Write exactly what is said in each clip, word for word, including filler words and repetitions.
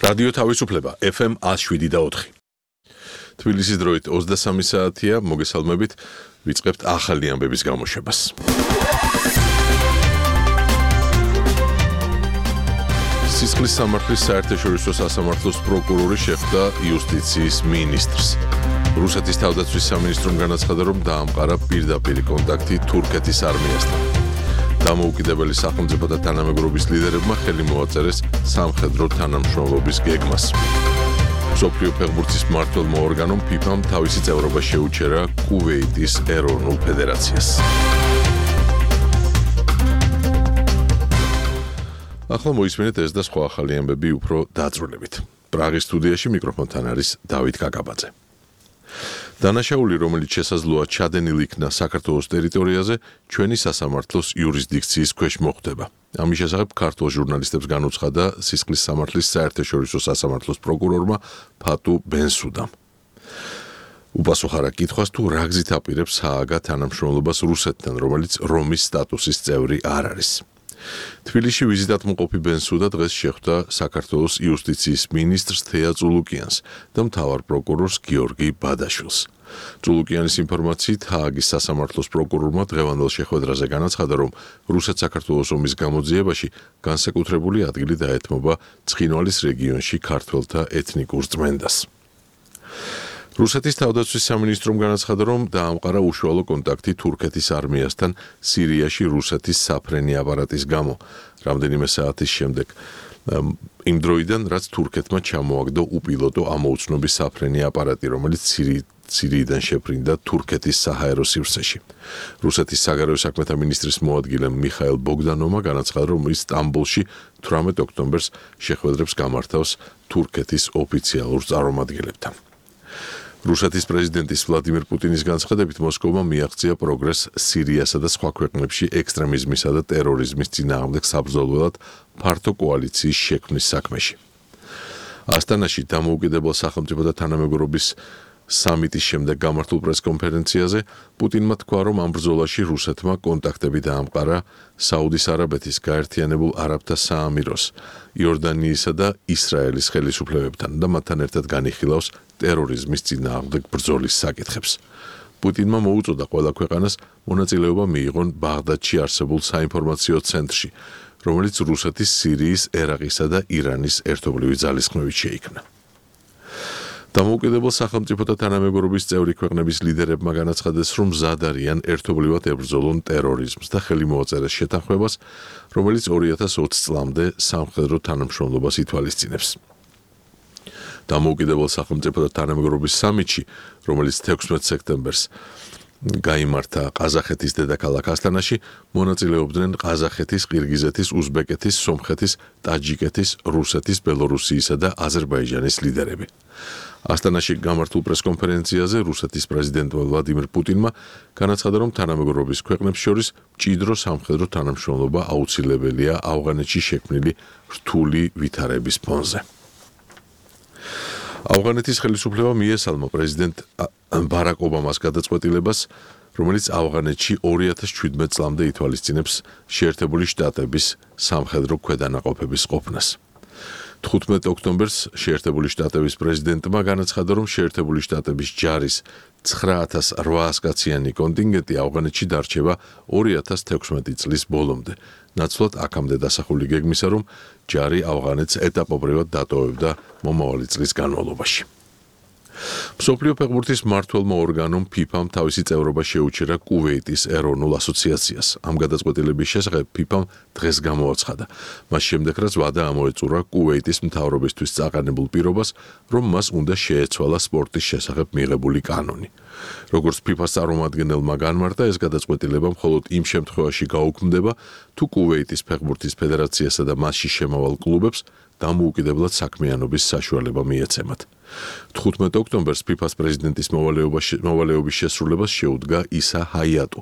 რადიო თავისუფლება ეფ ემ one oh seven და four. თბილისის დროით ოცდასამი საათია, მოგესალმებით, ვიწყებთ ახალი ამბების გამოშვებას. სისხლის სამართლის საერთაშორისო სასამართლოს პროკურორი შეხვდა იუსტიციის მინისტრს. რუსეთის თავდაცვის სამინისტრომ განაცხადა, რომ დაამყარა პირდაპირი კონტაქტი თურქეთის არმიასთან. დამოუკიდებელი სახელმწიფო და თანამეგობრობის ლიდერებმა ხელი მოაწერეს სამხედრო თანამშრომლობის გეგმას. მსოფლიო ფეხბურთის მმართველმა ორგანომ ფიფამ თავისი წევრობა შეუჩერა კუვეიტის ეროვნულ ფედერაციას. ახლა მოისმენთ ეს და სხვა ახალი ამბები უფრო დაწვრილებით. პრაღის სტუდიაში მიკროფონთან არის დავით კაკაბაძე. დანაშაული, რომელიც შესაძლოა ჩადენილ იქნა საქართველოს ტერიტორიაზე, ჩვენი სასამართლოს იურისდიქციის ქვეშ მოხვდება. ამის შესახებ ქართულ ჟურნალისტებს განუცხადა სისხლის სამართლის საერთაშორისო სასამართლოს პროკურორმა ფატუ ბენსუდამ. უპასუხა რა კითხვას, თუ რა გზით აპირებს ჰააგა თანამშრომლობას რუსეთთან, რომელიც რომის სტატუსის წევრი არ არის. თბილისში ვიზიტად მყოფი ბენსუდა დღეს შეხვდა საქართველოს იუსტიციის მინისტრს თეა წულუკიანს და მთავარ პროკურორს გიორგი ბადაშვილს. წულუკიანის ინფორმაციით, ჰააგის სასამართლოს პროკურორმა დღევანდელ შეხვედრაზე განაცხადა, რომ რუსეთ-საქართველოს ომის გამოძიებაში განსაკუთრებული ადგილი დაეთმობა ცხინვალის რეგიონში ქართველთა ეთნიკურ წმენდას. რუსეთის თავდაცვის სამინისტრომ განაცხადა, რომ დაამყარა უშუალო კონტაქტი თურქეთის არმიასთან სირიაში რუსეთის საფრენი აპარატის გამო, რამდენიმე საათის შემდეგ. იმ დროიდან, რაც თურქეთმა ჩამოაგდო უპილოტო ამოუცნობის საფრენი აპარატი, რომელიც სირიიდან შეფრინდა თურქეთის საჰაერო სივრცეში. რუსეთის საგარეო საქმეთა მინისტრის მოადგილე მიხაილ ბოგდანოვმა განაცხადა, რომ ის სტამბოლში თვრამეტ ოქტომბერს შეხვედრებს გამართავს თურქეთის ოფიციალურ წარმომადგენლებთან. რუსეთის პრეზიდენტის ვლადიმირ პუტინის განცხადებით, მოსკოვმა მიაღწია პროგრესს სირიასა და სხვა ქვეყნებში ექსტრემიზმისა და ტერორიზმის წინააღმდეგ საბრძოლველად ფართო კოალიციის შექმნის საქმეში. ასტანაში დამოუკიდებელ სახელმწიფო და თანამეგობრობის სამიტის შემდეგ გამართულ პრესკონფერენციაზე პუტინმა თქვა, რომ ამ ბრძოლაში რუსეთმა კონტაქტები დაამყარა საუდის არაბეთის გაერთიანებულ არაბთა საამიროს, იორდანიისა და ისრაელის ხელისუფლებებთან და მათთან ერთად განიხილავს ტერორიზმის წინააღმდეგ ბრძოლის საკითხებს. პუტინმა მოუწოდა ყველა ქვეყანას მონაწილეობა მიიღონ ბაღდადში არსებულ საინფორმაციო ცენტრში, რომელიც რუსეთის, სირიის, ერაყისა და ირანის ერთობლივი ძალისხმევით შეიქმნა. დამოუკიდებელ სახელმწიფო და თანამეგობრობის წევრი ქვეყნების ლიდერებმა განაცხადეს, რომ მზად არიან ერთობლივად ებრძოლონ ტერორიზმს და ხელი მოაწერეს შეთანხმებას, რომელიც ორი ათას ოცი წლამდე სამხედრო თანამშრომლობას ითვალისწინებს. დამოუკიდებელ სახელმწიფო და თანამეგობრობის სამიტში, რომელიც თექვსმეტ სექტემბერს გაიმართა ყაზახეთის დედაქალაქ ასტანაში, მონაწილეობდნენ ყაზახეთის, ყირგიზეთის, უზბეკეთის, სომხეთის, ტაჯიკეთის, რუსეთის, ბელორუსიისა და აზერბაიჯანის ლიდერები. ასტანაში გამართულ პრესკონფერენციაზე რუსეთის პრეზიდენტმა ვლადიმირ პუტინმა განაცხადა, რომ თანამეგობრობის ქვეყნებს შორის მჭიდრო სამხედრო თანამშრომლობა აუცილებელია ავღანეთში შექმნილი რთული ვითარების ფონზე. ავღანეთის ხელისუფლება მიესალმა პრეზიდენტ ბარაკ ობამას გადაწყვეტილებას, რომელიც ავღანეთში ორი ათას შვიდმეტ წლამდე ითვალისწინებს შეერთებული შტატების სამხედრო ქვედანაყოფების ყოფნას. თხუთმეტ ოქტომბერს შეერთებული შტატების პრეზიდენტმა განაცხადა, რომ შეერთებული შტატების ჯარის ცხრა ათას რვაას კაციანი კონტინგენტი ავღანეთში დარჩება ორი ათას თექვსმეტი წლის ბოლომდე, ნაცვლად აქამდე დასახული გეგმისა, რომ ჯარი ავღანეთს ეტაპობრივად დატოვებდა მომავალი წლის განმავლობაში. მსოფლიო ფეხბურთის მმართველმა ორგანომ ფიფამ თავისი წევრობა შეუჩერა კუვეიტის ეროვნულ ასოციაციას. ამ გადაწყვეტილების შესახებ ფიფამ დღეს გამოაცხადა. მას შემდეგ, რაც ვადა ამოეწურა კუვეიტის მთავრობისთვის წაყენებულ პირობას, რომ მას უნდა შეეცვალა სპორტის შესახებ მიღებული კანონი. როგორც ფიფას წარმომადგენელმა განმარტა, ეს გადაწყვეტილება მხოლოდ იმ შემთხვევაში გაუქმდება, თუ კუვეიტის ფეხბურთის ფედერაციასა და მასში შემავალ კლუბებს დამოუკიდებლად საქმიანობის საშუალება მიეცემათ. თხუთმეტ ოქტომბერს ფიფას პრეზიდენტის მოვალეობის შესრულებას შეუდგა ისა ჰაიატუ,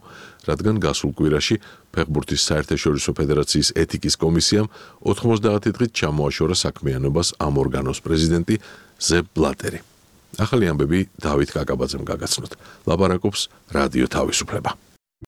რადგან გასულ კვირაში ფეხბურთის საერთაშორისო ფედერაციის ეთიკის კომისიამ ოთხმოცდაათი დღით ჩამოაშორა საქმიანობას ამ ორგანოს პრეზიდენტი ზებ ბლატერი. ახალი ამბები დავით კაკაბაძემ გაგაცნოთ. ლაპარაკობს რადიო თავისუფლება.